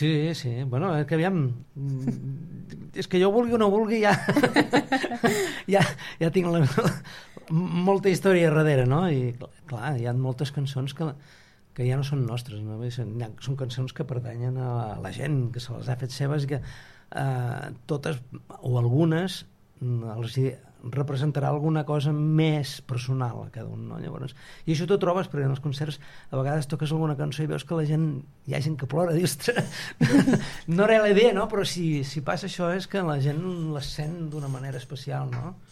Sí, sí. Bueno, que aviam... És que jo vulgui o no vulgui ja tinc molta història darrere, no? I clar, hi ha moltes cançons que ja no són nostres, no? Són cançons que pertanyen a la gent, que se les ha fet seves i que totes o algunes els representarà alguna cosa més personal a cada un, no? Llavors, i això t'ho trobes perquè en els concerts a vegades toques alguna cançó i veus que hi ha gent que plora, dius no era la idea, no? Però si passa això és que la gent les sent d'una manera especial, no?